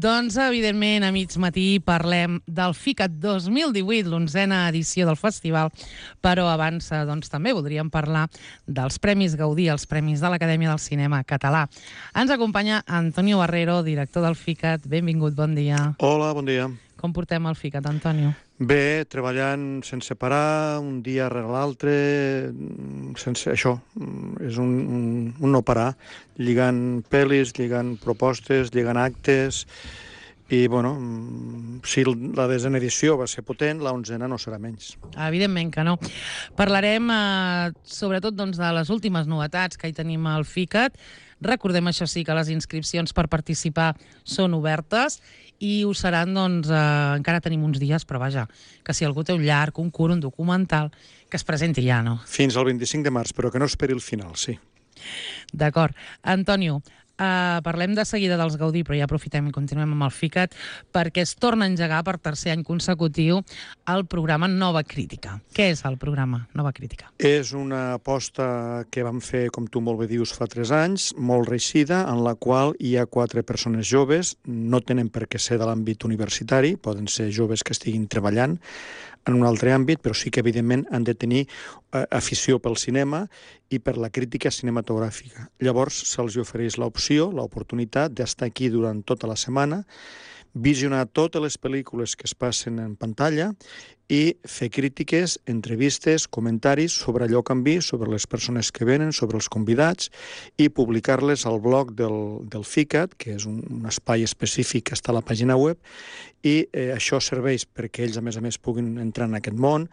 Doncs, evidentment, a mig matí parlem del FICAT 2018, l'11a edició del festival, però abans doncs, també voldríem parlar dels Premis Gaudí, els Premis de l'Acadèmia del Cinema Català. Ens acompanya Antonio Barrero, director del FICAT. Benvingut, bon dia. Hola, bon dia. Com portem el FICAT, Antonio? Bé, treballant sense parar, un dia rere l'altre, sense això, és un no parar, lligant pel·lis, lligant propostes, lligant actes, i, bueno, si la desena edició va ser potent, la 11a no serà menys. Evidentment que no. Parlarem, sobretot, doncs, de les últimes novetats que hi tenim al FICAT. Recordem, això sí, que les inscripcions per participar són obertes i ho seran, doncs, encara tenim uns dies, però vaja, que si algú té un llarg, un curt, un documental, que es presenti ja, no? Fins al 25 de març, però que no esperi el final, sí. D'acord. Antonio, parlem de seguida dels Gaudí, però ja aprofitem i continuem amb el FICAT, perquè es torna a engegar per tercer any consecutiu el programa Nova Crítica. Què és el programa Nova Crítica? És una aposta que vam fer, com tu molt bé dius, fa 3 anys, molt reeixida, en la qual hi ha 4 persones joves, no tenen per què ser de l'àmbit universitari, poden ser joves que estiguin treballant en un altre àmbit, però sí que, evidentment, han de tenir afició pel cinema i per la crítica cinematogràfica. Llavors, se'ls ofereix l'opció, l'oportunitat d'estar aquí durant tota la setmana, visionar totes les pel·lícules que es passen en pantalla i fer crítiques, entrevistes, comentaris sobre allò que han vist, sobre les persones que venen, sobre els convidats, i publicar-les al blog del FICAT, que és un espai específic que està a la pàgina web, i això serveix perquè ells, a més, puguin entrar en aquest món,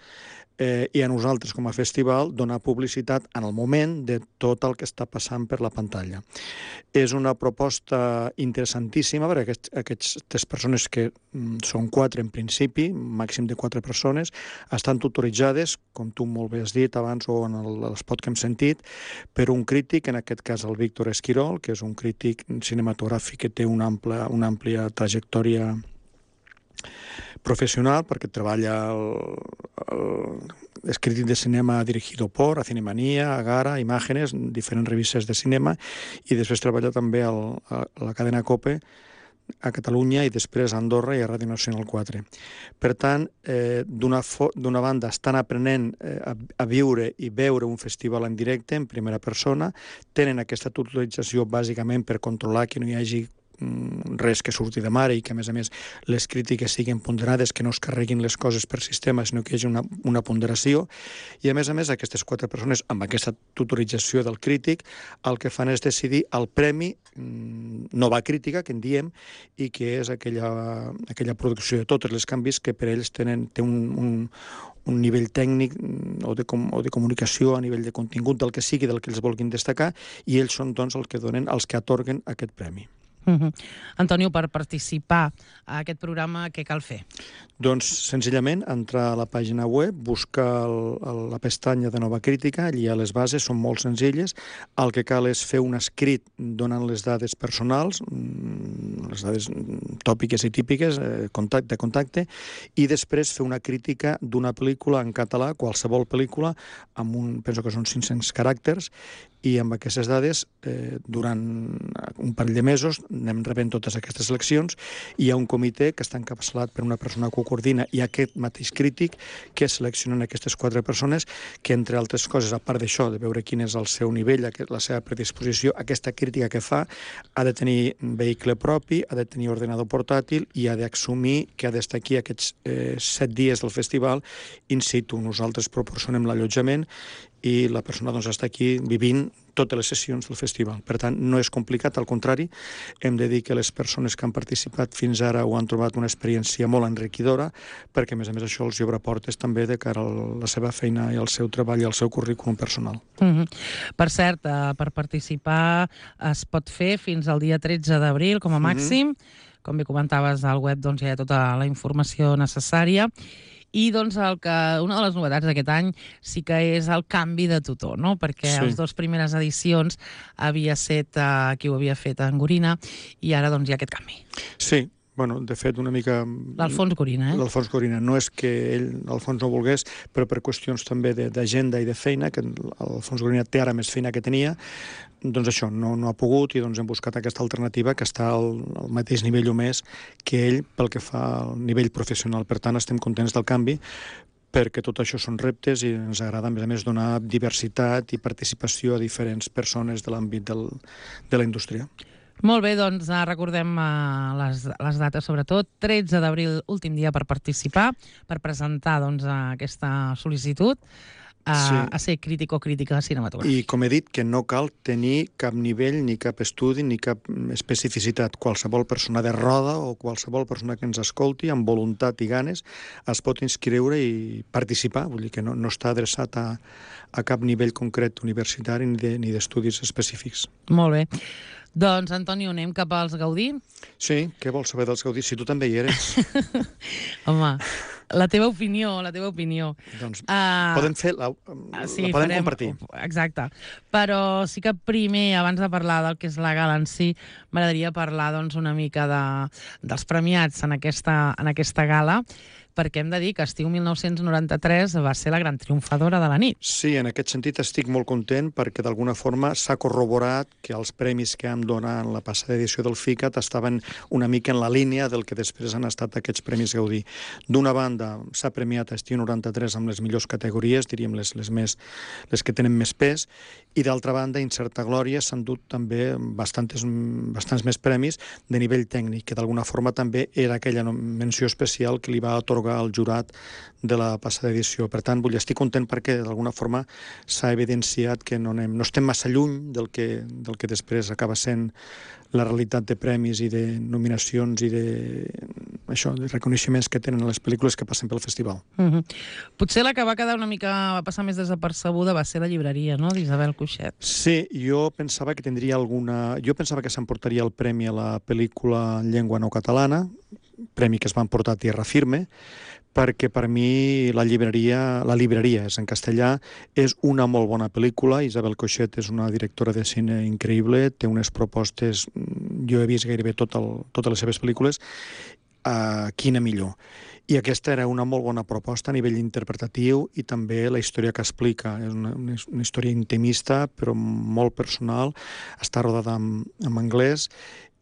i a nosaltres, com a festival, donar publicitat en el moment de tot el que està passant per la pantalla. És una proposta interessantíssima, perquè aquestes persones, que són 4 en principi, màxim de 4 persones, estan tutoritzades, com tu molt bé has dit abans o en l'espot que hem sentit, per un crític, en aquest cas el Víctor Esquirol, que és un crític cinematogràfic que té una àmplia trajectòria profesional, perquè treballa és crític de cinema dirigido por, a Cinemanía, a Gara, a Imágenes, diferents revistes de cinema, i després treballa també a la cadena COPE a Catalunya i després a Andorra i a Ràdio Nacional 4. Per tant, d'una banda, estan aprenent a viure i veure un festival en directe, en primera persona, tenen aquesta tutorització bàsicament per controlar que no hi hagi res que surti de mare i que, a més, les crítiques siguin ponderades, que no es carreguin les coses per sistema, sinó que hi hagi una ponderació. I, a més, aquestes 4 persones, amb aquesta tutorització del crític, el que fan és decidir el premi Nova Crítica, que en diem, i que és aquella producció de totes les canvis que per ells té un nivell tècnic o de comunicació, a nivell de contingut, del que sigui, del que ells vulguin destacar, i ells són, doncs, els que atorguen aquest premi. Antonio, per participar a aquest programa, què cal fer? Doncs, senzillament, entrar a la pàgina web, buscar la pestanya de Nova Crítica, allà les bases són molt senzilles. El que cal és fer un escrit donant les dades personals, les dades tòpiques i típiques, de contacte, i després fer una crítica d'una pel·lícula en català, qualsevol pel·lícula, penso que són 500 caràcters, i amb aquestes dades, durant un parell de mesos, anem rebent totes aquestes seleccions, i hi ha un comitè que està encapçalat per una persona que ho coordina i aquest mateix crític que seleccionen aquestes 4 persones que, entre altres coses, a part d'això, de veure quin és el seu nivell, la seva predisposició, aquesta crítica que fa ha de tenir vehicle propi, ha de tenir ordenador portàtil i ha d'assumir que ha d'estar aquí aquests 7 dies del festival in situ. Nosaltres proporcionem l'allotjament i la persona, doncs, està aquí vivint totes les sessions del festival. Per tant, no és complicat, al contrari, hem de dir que les persones que han participat fins ara ho han trobat una experiència molt enriquidora, perquè, a més, això els obre portes també de cara a la seva feina i al seu treball i al seu currículum personal. Per cert, per participar es pot fer fins al dia 13 d'abril, com a màxim. Com bé comentaves, al web doncs, hi ha tota la informació necessària. I doncs una de les novetats d'aquest any sí que és el canvi de tutor, no? Perquè les 2 primeres edicions havia estat qui ho havia fet en Gorina i ara doncs hi ha aquest canvi. Sí, Bueno, de fet, una mica... L'Alfons Gorina, L'Alfons Gorina. No és que ell, l'Alfons, no volgués, però per qüestions també d'agenda i de feina, que l'Alfons Gorina té ara més feina que tenia, doncs això, no ha pogut i doncs hem buscat aquesta alternativa que està al mateix nivell o més que ell pel que fa al nivell professional. Per tant, estem contents del canvi, perquè tot això són reptes i ens agrada, a més, donar diversitat i participació a diferents persones de l'àmbit de la indústria. Molt bé, doncs recordem les dates, sobretot. 13 d'abril, últim dia per participar, per presentar aquesta sol·licitud a ser crític o crítica cinematogràfica. I com he dit, que no cal tenir cap nivell, ni cap estudi, ni cap especificitat. Qualsevol persona de roda o qualsevol persona que ens escolti, amb voluntat i ganes, es pot inscriure i participar. Vull dir que no està adreçat a cap nivell concret universitari ni d'estudis específics. Molt bé. Doncs, Antonio, anem cap als Gaudí? Sí, què vols saber dels Gaudí? Si tu també hi eres. Home, la teva opinió. Doncs podem compartir. Exacte. Però sí que primer, abans de parlar del que és la gala en si, m'agradaria parlar una mica dels premiats en aquesta gala, perquè hem de dir que estiu 1993 va ser la gran triomfadora de la nit. Sí, en aquest sentit estic molt content perquè d'alguna forma s'ha corroborat que els premis que hem donat en la passada edició del FICAT estaven una mica en la línia del que després han estat aquests Premis Gaudí. D'una banda, s'ha premiat estiu 93 amb les millors categories, diríem les que tenen més pes, i d'altra banda, Incerta Glòria s'han dut també bastants més premis de nivell tècnic, que d'alguna forma també era aquella menció especial que li va atorgar al jurat de la passada edició. Per tant, estic content perquè d'alguna forma s'ha evidenciat que no estem massa lluny del que després acaba sent la realitat de premis i de nominacions i de reconeixements que tenen les pel·lícules que passen pel festival. Potser la que va quedar va passar més desapercebuda va ser La llibreria, no?, d'Isabel Coixet. Sí, jo pensava que s'emportaria el premi a la pel·lícula en llengua no catalana, premi que es va emportar a Tierra Firme, perquè per mi La llibreria és en castellà, és una molt bona pel·lícula. Isabel Coixet és una directora de cine increïble, té unes propostes, jo he vist gairebé totes les seves pel·lícules, quina millor. I aquesta era una molt bona proposta a nivell interpretatiu i també la història que explica. És una història intimista, però molt personal, està rodada en anglès,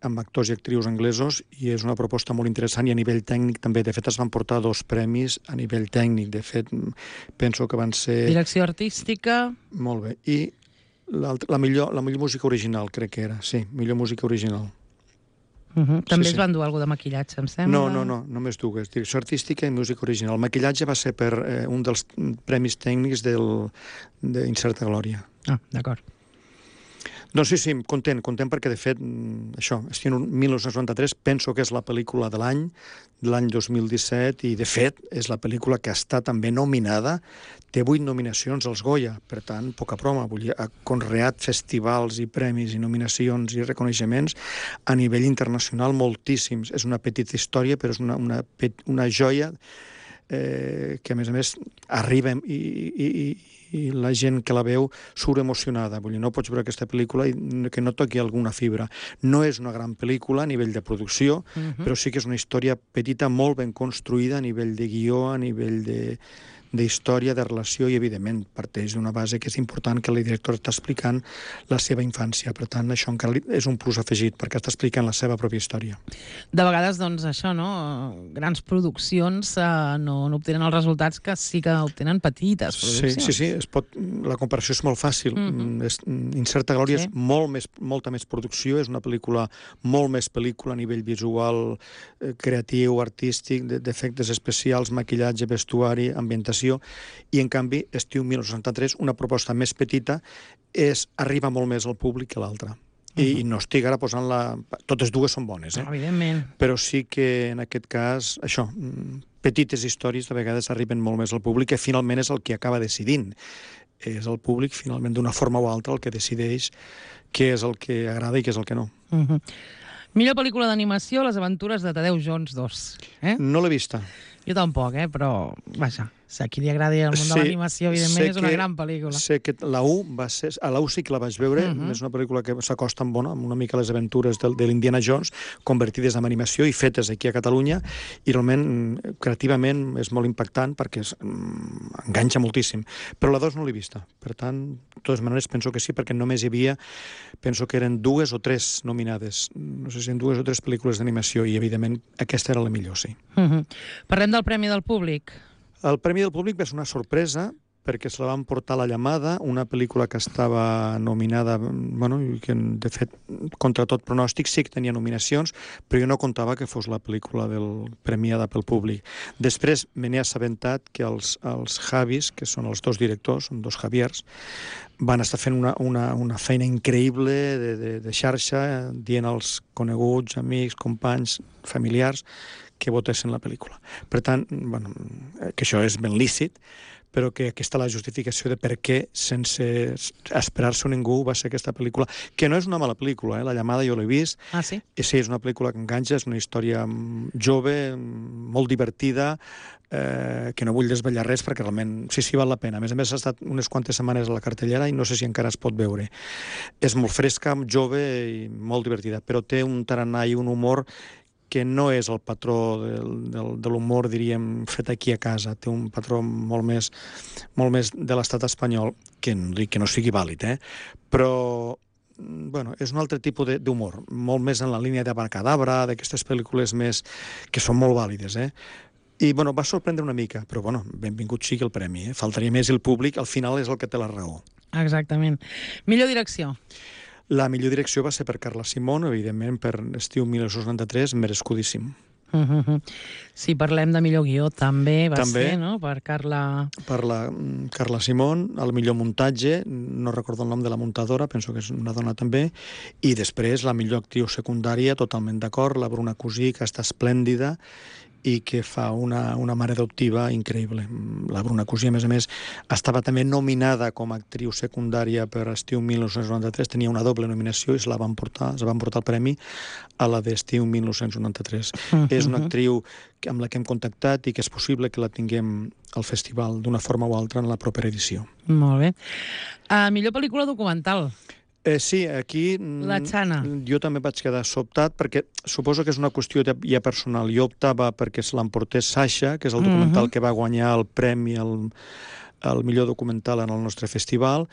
amb actors i actrius anglesos, i és una proposta molt interessant i a nivell tècnic també. De fet, es van portar 2 premis a nivell tècnic. De fet, penso que van ser... Direcció artística... Molt bé. I la millor música original, crec que era. Sí, millor música original. També es van dur alguna de maquillatge, em sembla? No, només 2. Direcció artística i música original. El maquillatge va ser per un dels premis tècnics d'Incerta Glòria. Ah, d'acord. Doncs sí, content perquè, de fet, estiu 1993, penso que és la pel·lícula de l'any 2017, i, de fet, és la pel·lícula que està també nominada, té 8 nominacions als Goya, per tant, poca broma, ha conreat festivals i premis i nominacions i reconeixements a nivell internacional moltíssims. És una petita història, però és una joia que, a més, arriba i la gent que la veu surt emocionada. Vull dir, no pots veure aquesta pel·lícula i que no toqui alguna fibra. No és una gran pel·lícula a nivell de producció, però sí que és una història petita, molt ben construïda a nivell de guió, a nivell d'història, de relació, i evidentment parteix d'una base que és important, que la directora està explicant la seva infància. Per tant, això encara és un plus afegit, perquè està explicant la seva pròpia història. De vegades, doncs, això, no? Grans produccions no obtenen els resultats que sí que obtenen petites produccions. Sí, la comparació és molt fàcil. Incerta Glòria és molta més producció, és una pel·lícula, molt més pel·lícula a nivell visual, creatiu, artístic, d'efectes especials, maquillatge, vestuari, ambientació, i en canvi estiu 1993, una proposta més petita, arriba molt més al públic que l'altra. I no estic ara posant totes dues són bones, evidentment, però sí que en aquest cas petites històries de vegades arriben molt més al públic, que finalment és el que acaba decidint. És el públic, finalment, d'una forma o altra, el que decideix què és el que agrada i què és el que no. Millor pel·lícula d'animació, Les aventures de Tadeu Jones 2. No l'he vista. Jo tampoc, però vaja. A qui li agradi el món de l'animació, evidentment, és una gran pel·lícula. Sé que la 1 va ser... A la 1 sí que la vaig veure, és una pel·lícula que s'acosta amb una mica a les aventures de l'Indiana Jones, convertides en animació i fetes aquí a Catalunya, i realment, creativament, és molt impactant perquè enganxa moltíssim. Però la 2 no l'he vista. Per tant, de totes maneres, penso que sí, perquè només hi havia, penso que eren 2 o 3 nominades. No sé si en 2 o 3 pel·lícules d'animació, i evidentment aquesta era la millor, sí. Parlem del Premi del Públic. El Premi del Públic va ser una sorpresa, perquè se la van portar a La Llamada, una pel·lícula que estava nominada, bueno, que de fet, contra tot pronòstic, sí que tenia nominacions, però jo no comptava que fos la pel·lícula premiada pel públic. Després me n'he assabentat que els Javis, que són els 2 directors, són 2 Javiers, van estar fent una feina increïble de xarxa, dient als coneguts, amics, companys, familiars, que votessin la pel·lícula. Per tant, bueno, que això és ben lícit, però que aquesta la justificació de per què, sense esperar-se ningú, va ser aquesta pel·lícula, que no és una mala pel·lícula, La Llamada jo l'he vist. Ah, sí? I sí, és una pel·lícula que enganxa, és una història jove, molt divertida, que no vull desvetllar res perquè realment sí, val la pena. A més, ha estat unes quantes setmanes a la cartellera i no sé si encara es pot veure. És molt fresca, jove i molt divertida, però té un tarannà i un humor que no és el patró de l'humor, diríem, fet aquí a casa. Té un patró molt més de l'estat espanyol, que no dic que no sigui vàlid, però bueno, és un altre tipus d'humor, molt més en la línia d'Abracadabra, d'aquestes pel·lícules més que són molt vàlides, I, bueno, va sorprendre una mica, però, bueno, benvingut sigui el premi, Faltaria més, el públic, al final és el que té la raó. Exactament. Millor direcció. La millor direcció va ser per Carla Simón, evidentment, per Estiu 1993, merescudíssim. Si parlem de millor guió, també va ser, no?, per Carla... Per la Carla Simón, el millor muntatge, no recordo el nom de la muntadora, penso que és una dona també, i després la millor actriu secundària, totalment d'acord, la Bruna Cusí, que està esplèndida, i que fa una mare adoptiva increïble. La Bruna Cusí, a més, estava també nominada com a actriu secundària per Estiu 1993, tenia una doble nominació i se van portar el premi a la d'Estiu 1993. És una actriu amb la que hem contactat i que és possible que la tinguem al festival d'una forma o altra en la propera edició. Molt bé. Millor pel·lícula documental. Sí, aquí La Xana. Jo també vaig quedar sobtat perquè suposo que és una qüestió ja personal. Jo optava perquè se l'emportés Sasha, que és el documental que va guanyar el premi al millor documental en el nostre festival.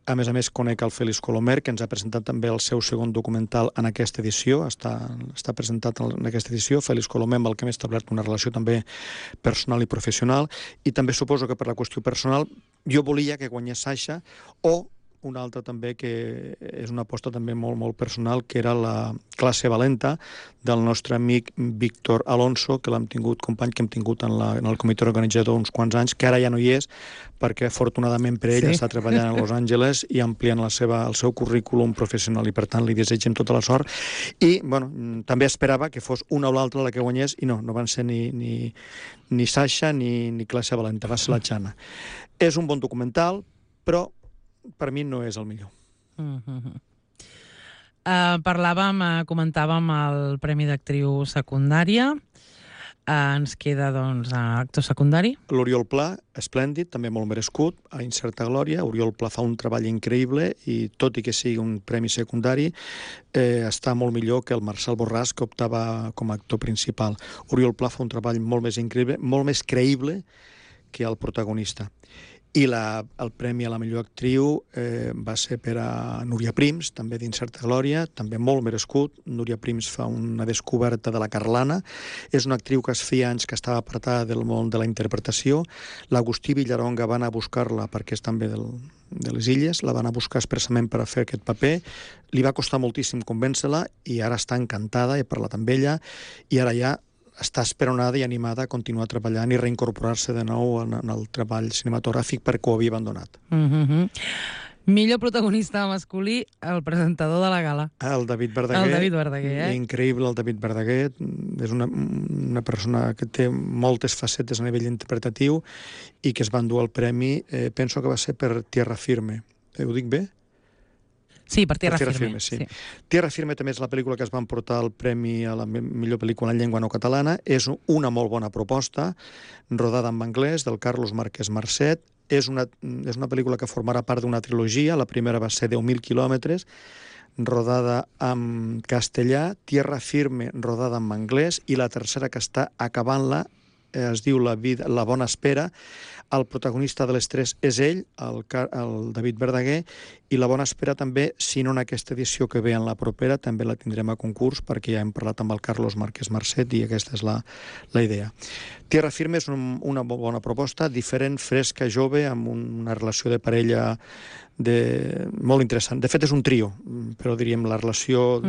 A més, conec el Félix Colomer, que ens ha presentat també el seu segon documental en aquesta edició, està presentat en aquesta edició. Félix Colomer, amb el que hem establert una relació també personal i professional, i també suposo que per la qüestió personal jo volia que guanyés Sasha, o una altra també que és una aposta també molt, molt personal, que era la Classe Valenta del nostre amic Víctor Alonso, que l'hem tingut, company que hem tingut en el comitè organitzador uns quants anys, que ara ja no hi és, perquè afortunadament per ell està treballant a Los Angeles i ampliant el seu currículum professional, i per tant li desitgem tota la sort. I, bueno, també esperava que fos una o l'altra la que guanyés, i no van ser ni Sasha ni Classe Valenta, va ser la Xana. És un bon documental, però per mi no és el millor. Comentàvem el Premi d'Actriu Secundària. Ens queda, doncs, actor secundari. L'Oriol Pla, esplèndid, també molt merescut, a Incerta Glòria. Oriol Pla fa un treball increïble i, tot i que sigui un premi secundari, està molt millor que el Marcel Borràs, que optava com a actor principal. Oriol Pla fa un treball molt més increïble, molt més creïble que el protagonista. I el premi a la millor actriu va ser per a Núria Prims, també d'Incerta Glòria, també molt merescut. Núria Prims fa una descoberta de la Carlana. És una actriu que feia anys que estava apartada del món de la interpretació. L'Agustí Villaronga va anar a buscar-la, perquè és també de les Illes, la va anar a buscar expressament per a fer aquest paper. Li va costar moltíssim convèncer-la i ara està encantada, he parlat amb ella, i ara ja està esperonada i animada a continuar treballant i reincorporar-se de nou en el treball cinematogràfic perquè ho havia abandonat. Millor protagonista masculí, el presentador de la gala. El David Verdaguer. El David Verdaguer, Increïble, el David Verdaguer. És una persona que té moltes facetes a nivell interpretatiu i que es va endur el premi, penso que va ser per Tierra Firme. Ho dic bé? Sí, per Tierra Tierra Firme. sí. Tierra Firme també és la pel·lícula que es va emportar el premi a la millor pel·lícula en llengua no catalana. És una molt bona proposta, rodada en anglès, del Carlos Márquez Marcet. És una pel·lícula que formarà part d'una trilogia. La primera va ser 10.000 quilòmetres, rodada en castellà, Tierra Firme, rodada en anglès, i la tercera, que està acabant-la, es diu La bona espera. El protagonista de les tres és ell, el David Verdaguer, i La bona espera també, si no en aquesta edició que ve en la propera, també la tindrem a concurs, perquè ja hem parlat amb el Carlos Márquez Marcet i aquesta és la idea. Tierra Firme és una bona proposta, diferent, fresca, jove, amb una relació de parella molt interessant. De fet, és un trio, però diríem la relació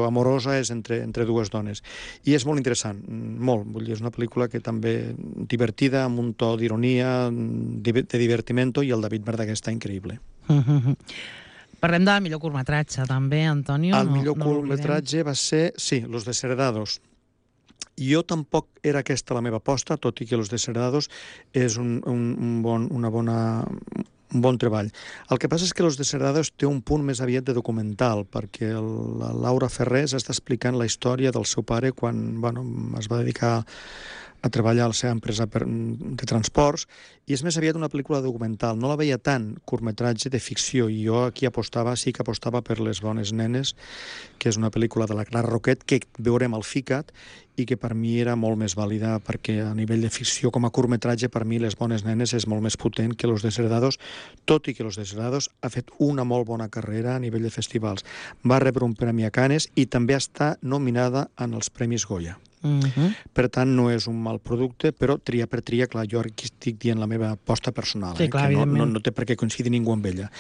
amorosa és entre dues dones. I és molt interessant, molt. Vull dir, és una pel·lícula que també divertida, amb un to d'ironia, de divertimento, i el David Verdaguer està increïble. Parlem de millor curtmetratge, també, Antonio. El millor curtmetratge va ser, sí, Los Desheredados. Jo tampoc era aquesta la meva aposta, tot i que Los Desheredados és un bon treball. El que passa és que Los Desheredados té un punt més aviat de documental, perquè la Laura Ferrés està explicant la història del seu pare quan es va dedicar a treballar a la seva empresa de transports, i és més aviat una pel·lícula documental. No la veia tant curtmetratge de ficció, i jo aquí sí que apostava per Les bones nenes, que és una pel·lícula de la Clara Roquet, que veurem al FICAT, i que per mi era molt més vàlida, perquè a nivell de ficció com a curtmetratge, per mi Les bones nenes és molt més potent que Los Desheredados, tot i que Los Desheredados ha fet una molt bona carrera a nivell de festivals. Va rebre un premi a Cannes i també està nominada en els Premis Goya. Per tant, no és un mal producte, però tria per tria, clar, jo aquí estic dient la meva aposta personal, sí, clar, que no té per què coincidir ningú amb ella.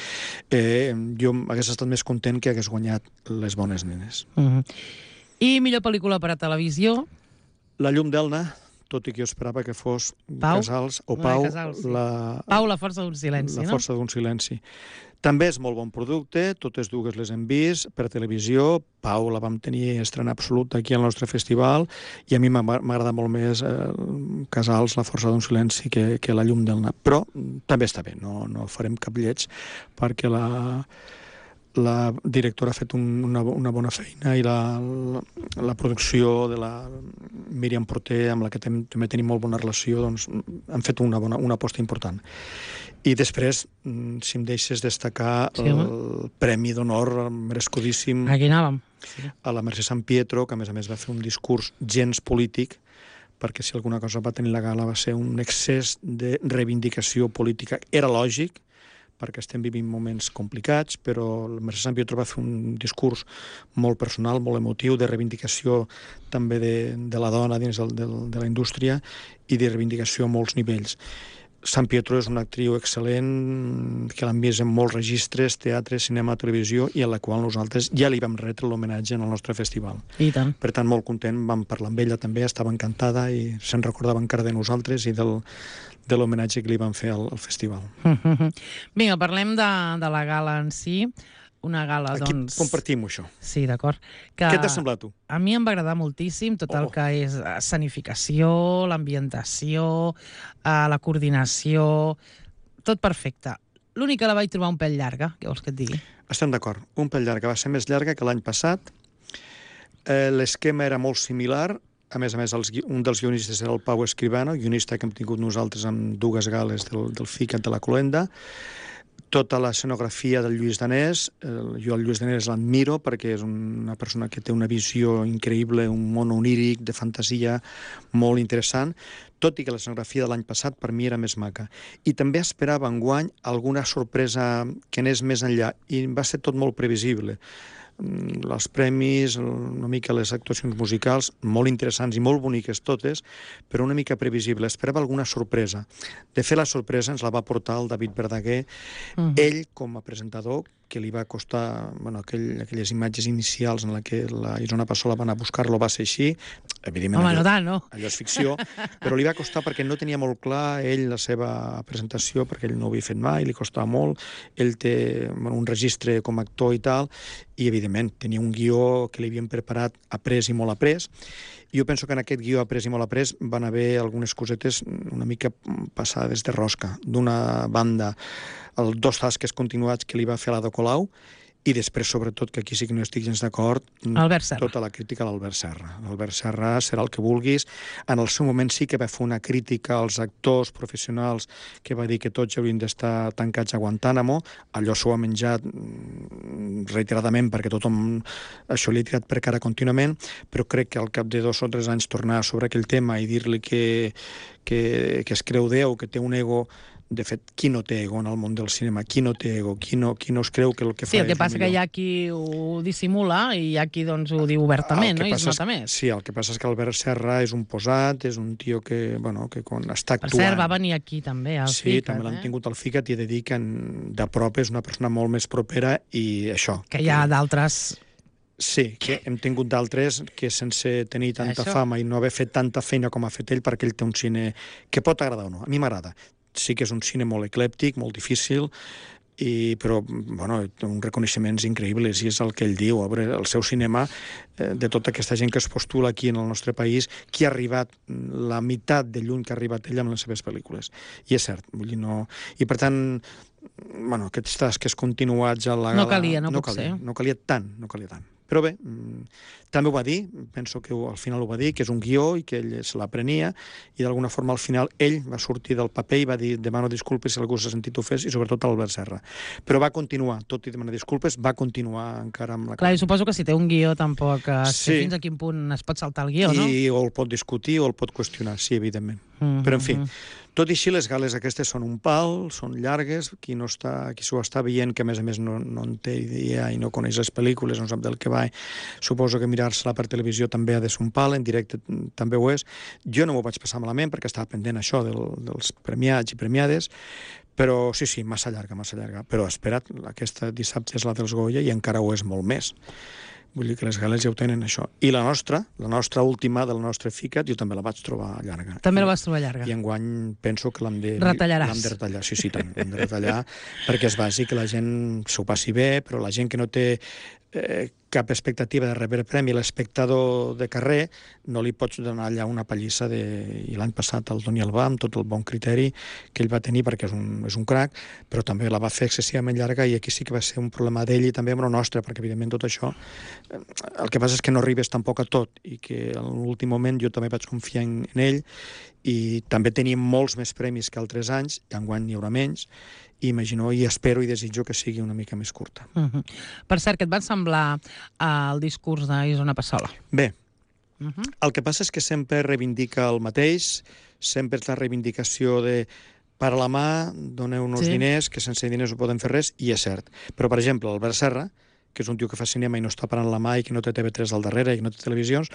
Jo hagués estat més content que hagués guanyat Les bones nenes. I millor pel·lícula per a televisió? La llum d'Elna, tot i que jo esperava que fos Casals o Pau. Pau, La força d'un silenci, no? La força d'un silenci. També és molt bon producte, totes dues les hem vist per televisió. Pau la vam tenir estrena absoluta aquí al nostre festival, i a mi m'agrada molt més Casals, La força d'un silenci, que La llum d'Elna. Però també està bé, no farem cap lleig, perquè la directora ha fet una bona feina, i la producció de la Míriam Porter, amb la que també tenim molt bona relació, doncs han fet una aposta important. I després, si em deixes destacar, el Premi d'Honor merescudíssim a la Mercè Sampietro, que a més va fer un discurs gens polític, perquè si alguna cosa va tenir la gala va ser un excés de reivindicació política. Era lògic, perquè estem vivint moments complicats, però la Mercè Sampietro va fer un discurs molt personal, molt emotiu, de reivindicació també de la dona dins de la indústria, i de reivindicació a molts nivells. Sampietro és una actriu excel·lent, que l'hem vist en molts registres, teatre, cinema, televisió, i a la qual nosaltres ja li vam retre l'homenatge en el nostre festival. I tant. Per tant, molt content, vam parlar amb ella també, estava encantada i se'n recordava encara de nosaltres i de l'homenatge que li vam fer al festival. Vinga, parlem de la gala en si. Una gala, aquí doncs... compartim això. Sí, d'acord. Què t'ha semblat, tu? A mi em va agradar moltíssim tot el que és escenificació, l'ambientació, la coordinació, tot perfecte. L'únic que la vaig trobar un pèl llarga, què vols que et digui? Estem d'acord, un pèl llarga. Va ser més llarga que l'any passat. L'esquema era molt similar. A més, un dels guionistes era el Pau Escribano, guionista que hem tingut nosaltres amb dues gales del FICAT de la Cloenda. Tota l'escenografia del Lluís Danés. Jo el Lluís Danés l'admiro perquè és una persona que té una visió increïble, un món oníric, de fantasia molt interessant, tot i que l'escenografia de l'any passat per mi era més maca. I també esperava enguany alguna sorpresa que anés més enllà, i va ser tot molt previsible. Els premis, una mica les actuacions musicals, molt interessants i molt boniques totes, però una mica previsible. Esperava alguna sorpresa. De fet, la sorpresa ens la va portar el David Verdaguer, ell com a presentador, que li va costar, aquelles imatges inicials en què la Isona Passola va anar a buscar-lo, va ser així. Evidentment, home, no tant, no? Allò és ficció, però li va costar perquè no tenia molt clar ell la seva presentació, perquè ell no ho havia fet mai, li costava molt. Ell té un registre com a actor i tal, i evidentment tenia un guió que li havien preparat après i molt après. I jo penso que en aquest guió après i molt après van haver algunes cosetes una mica passades de rosca. D'una banda, els 2 tasques continuats que li va fer a l'Ada Colau, i després, sobretot, que aquí sí que no estic gens d'acord, tota la crítica a l'Albert Serra. L'Albert Serra serà el que vulguis. En el seu moment sí que va fer una crítica als actors professionals que va dir que tots haurien d'estar tancats a Guantánamo. Allò s'ho ha menjat reiteradament perquè tothom això li ha tirat per cara contínuament, però crec que al cap de 2 o 3 anys tornar sobre aquell tema i dir-li que es creu Déu, que té un ego. De fet, qui no té ego en el món del cinema? Qui no té ego? Qui no es creu que el que fa és el millor? Sí, el que passa que hi ha qui ho dissimula i hi ha qui ho diu obertament, no? I es nota més. Sí, el que passa és que Albert Serra és un posat, és un tio que quan està actuant... Per cert, va venir aquí també, al FICAT. Sí, també l'han tingut al FICAT i he de dir que de prop és una persona molt més propera i això... Que hi ha d'altres... Sí, que hem tingut d'altres que sense tenir tanta fama i no haver fet tanta feina com ha fet ell, perquè ell té un cine que pot agradar o no. A mi m'agrada. Sí que és un cine molt eclèptic, molt difícil, però té uns reconeixements increïbles i és el que ell diu. A veure, el seu cinema, de tota aquesta gent que es postula aquí en el nostre país, qui ha arribat la meitat de lluny que ha arribat ell amb les seves pel·lícules. I és cert, vull dir, no... I per tant, aquests tasques continuats a la gala... No calia, no pot ser. No calia tant. Però bé, també ho va dir, penso que al final ho va dir, que és un guió i que ell se l'aprenia, i d'alguna forma al final ell va sortir del paper i va dir demano disculpes si algú s'ha sentit ofès, i sobretot Albert Serra. Però va continuar, tot i demanar disculpes, va continuar encara amb la... Clar, i suposo que si té un guió tampoc sé fins a quin punt es pot saltar el guió, no? I o el pot discutir o el pot qüestionar, sí, evidentment. Però, en fi, tot i així, les gales aquestes són un pal, són llargues, qui s'ho està veient, que a més no en té idea i no coneix les pel·lícules, no sap del que va, suposo que mirar-se-la per televisió també ha de ser un pal, en directe també ho és. Jo no m'ho vaig passar malament perquè estava pendent això dels premiats i premiades, però sí, massa llarga. Però espera't, aquesta dissabte és la dels Goya i encara ho és molt més. Vull dir que les gales ja ho tenen, això. I la nostra última del nostre FICAT, jo també la vaig trobar llarga. També la vas trobar llarga. I enguany penso que l'hem de... Retallaràs. L'hem de retallar, sí, tant. L'hem de retallar perquè és bàsic que la gent s'ho passi bé, però la gent que no té cap expectativa de rebre premi, l'espectador de carrer, no li pots donar allà una pallissa i l'any passat el Toni Albà, amb tot el bon criteri que ell va tenir, perquè és un crac, però també la va fer excessivament llarga i aquí sí que va ser un problema d'ell i també amb el nostre, perquè evidentment tot això el que passa és que no arribes tampoc a tot i que en l'últim moment jo també vaig confiar en ell i també tenim molts més premis que altres anys, i enguany n'hi haurà menys, i imagino i espero i desitjo que sigui una mica més curta. Per cert, què et va semblar el discurs d'Isona Passola? Bé, el que passa és que sempre reivindica el mateix, sempre és la reivindicació de para la mà, doneu-nos diners, que sense diners no podem fer res, i és cert. Però, per exemple, Albert Serra, que és un tio que fa cinema i no està parant la mà i que no té TV3 al darrere i que no té televisions,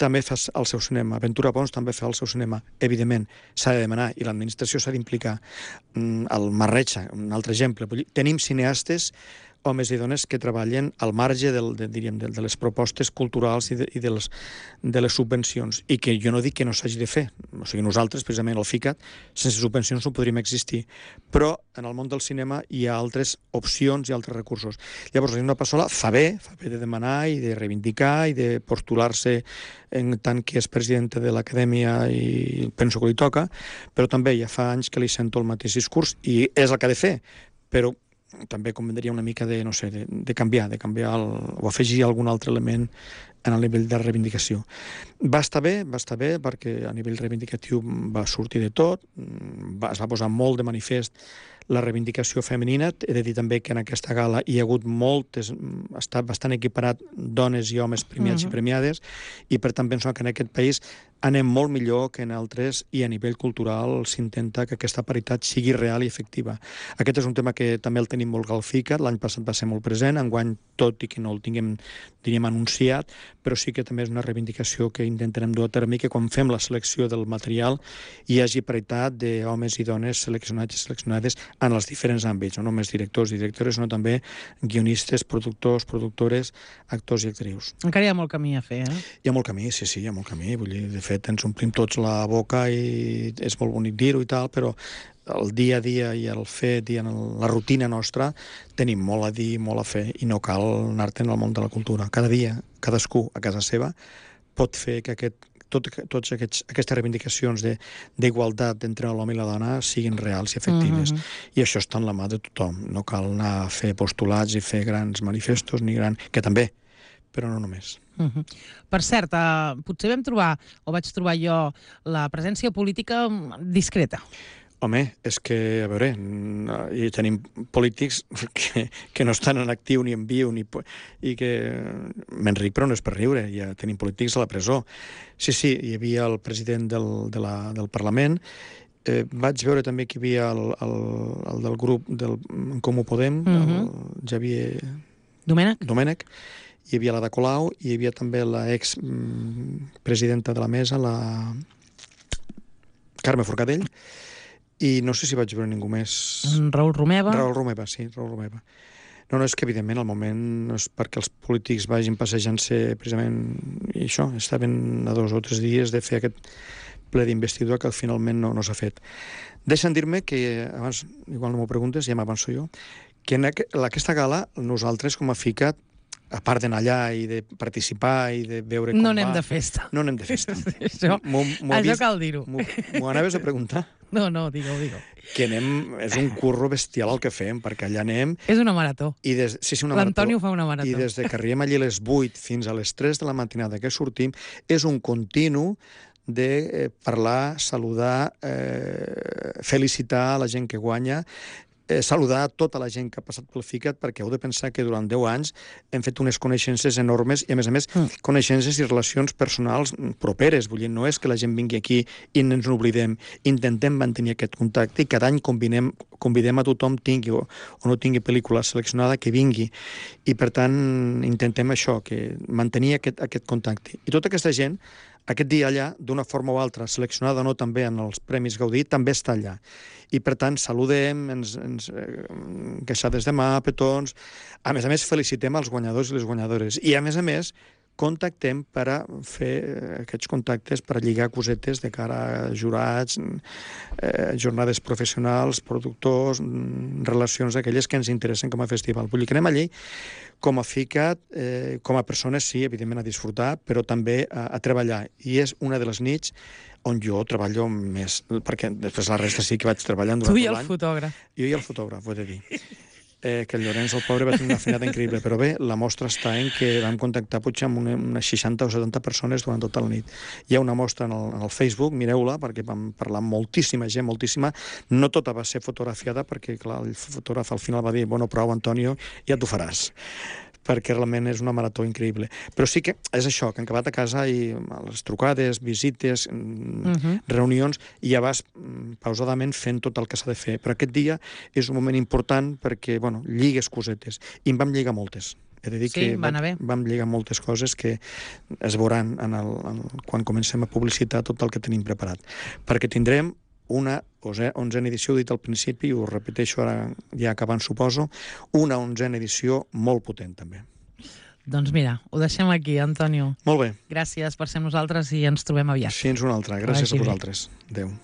també fa el seu cinema. Ventura Pons també fa el seu cinema. Evidentment, s'ha de demanar i l'administració s'ha d'implicar. El Marrecha, un altre exemple. Tenim cineastes, homes i dones, que treballen al marge de les propostes culturals i de les subvencions, i que jo no dic que no s'hagi de fer. O sigui, nosaltres, precisament, al FICAT, sense subvencions no podríem existir. Però en el món del cinema hi ha altres opcions i altres recursos. Llavors, Isona Passola fa bé de demanar i de reivindicar i de postular-se en tant que és presidenta de l'acadèmia i penso que li toca, però també ja fa anys que li sento el mateix discurs i és el que ha de fer, però també convendria una mica de canviar o afegir algun altre element en el nivell de reivindicació. Va estar bé perquè a nivell reivindicatiu va sortir de tot, es va posar molt de manifest la reivindicació femenina. He de dir també que en aquesta gala hi ha hagut ha estat bastant equiparat dones i homes premiats i premiades, i per tant penso que en aquest país anem molt millor que en altres i a nivell cultural s'intenta que aquesta paritat sigui real i efectiva. Aquest és un tema que també el tenim molt galficat, l'any passat va ser molt present, enguany tot i que no el tinguem, diríem, anunciat, però sí que també és una reivindicació que intentarem dur a terme i que quan fem la selecció del material hi hagi paritat d'homes i dones seleccionats i seleccionades en els diferents àmbits, no només directors i directores, sinó també guionistes, productors, productores, actors i actrius. Encara hi ha molt camí a fer, eh? Hi ha molt camí, sí, hi ha molt camí. Vull dir, de fet, ens omplim tots la boca i és molt bonic dir-ho i tal, però el dia a dia i el fet i en la rutina nostra tenim molt a dir, molt a fer i no cal anar-te'n al món de la cultura. Cada dia, cadascú a casa seva pot fer que totes aquestes reivindicacions d'igualtat entre l'home i la dona siguin reals i efectives. I això està en la mà de tothom. No cal anar a fer postulats i fer grans manifestos, que també, però no només. Per cert, potser vaig trobar jo la presència política discreta. Home, és que, a veure, hi tenim polítics que no estan en actiu ni en viu, i que m'enric, però no és per riure, ja tenim polítics a la presó. Sí, hi havia el president del Parlament, vaig veure també que hi havia el del grup del Comú Podem, el Javier Domènech, hi havia la de Colau, i hi havia també l'ex-presidenta de la mesa, la Carme Forcadell, i no sé si vaig veure ningú més. Raül Romeva. Raül Romeva, sí, Raül Romeva. No, és que evidentment el moment no és perquè els polítics vagin passejant-se precisament, i això, estaven a 2 o 3 dies de fer aquest ple d'investidura que finalment no s'ha fet. Deixa'm dir-me que, abans, igual no m'ho preguntes, ja m'avanço jo, que en aquesta gala nosaltres com a FICAT, a part d'anar allà i de participar i de veure com va... No anem de festa. No anem de festa. Això cal dir-ho. M'ho anaves a preguntar? No, digue-ho. Que és un curro bestial el que fem, perquè allà anem... És una marató. L'Antoni fa una marató. I des que arribem allí a les 8 fins a les 3 de la matinada que sortim, és un continu de parlar, saludar, felicitar la gent que guanya, saludar tota la gent que ha passat pel FICAT, perquè heu de pensar que durant 10 anys hem fet unes coneixences enormes i, a més, coneixences i relacions personals properes. Vull dir, no és que la gent vingui aquí i ens n'oblidem. Intentem mantenir aquest contacte i cada any convidem a tothom, tingui o no tingui pel·lícula seleccionada, que vingui. I, per tant, intentem això, que mantenir aquest contacte. I tota aquesta gent, aquest dia allà, d'una forma o altra, seleccionada o no també en els Premis Gaudí, també està allà. I, per tant, saludem, ens queixades de mà, petons... A més, felicitem els guanyadors i les guanyadores. I, a més, contactem per a fer aquests contactes, per a lligar cosetes de cara a jurats, jornades professionals, productors, relacions aquelles que ens interessen com a festival. Vull dir que anem allí com a FICAT, com a persones, sí, evidentment, a disfrutar, però també a treballar. I és una de les nits on jo treballo més, perquè després la resta sí que vaig treballant durant tot l'any. Tu i el fotògraf. Jo i el fotògraf, ho he de dir. Que el Llorenç, el pobre, va tenir una feinada increïble, però bé, la mostra està en que vam contactar potser amb unes 60 o 70 persones durant tota la nit. Hi ha una mostra en el Facebook, mireu-la, perquè vam parlar amb moltíssima gent, moltíssima. No tota va ser fotografiada, perquè clar, el fotògraf al final va dir, bueno, prou, Antonio, ja t'ho faràs, perquè realment és una marató increïble. Però sí que és això, que han acabat a casa i les trucades, visites, reunions, i ja vas pausadament fent tot el que s'ha de fer. Però aquest dia és un moment important perquè, bueno, lligues cosetes. I en vam lligar moltes. He de dir que vam lligar moltes coses que es veuran quan comencem a publicitar tot el que tenim preparat. Perquè tindrem una 11a edició, dit al principi, ho repeteixo ara ja acabant, suposo, una 11a edició molt potent, també. Doncs mira, ho deixem aquí, Antonio. Molt bé. Gràcies per ser amb nosaltres i ens trobem aviat. Fins una altra. Gràcies a vosaltres. Adéu.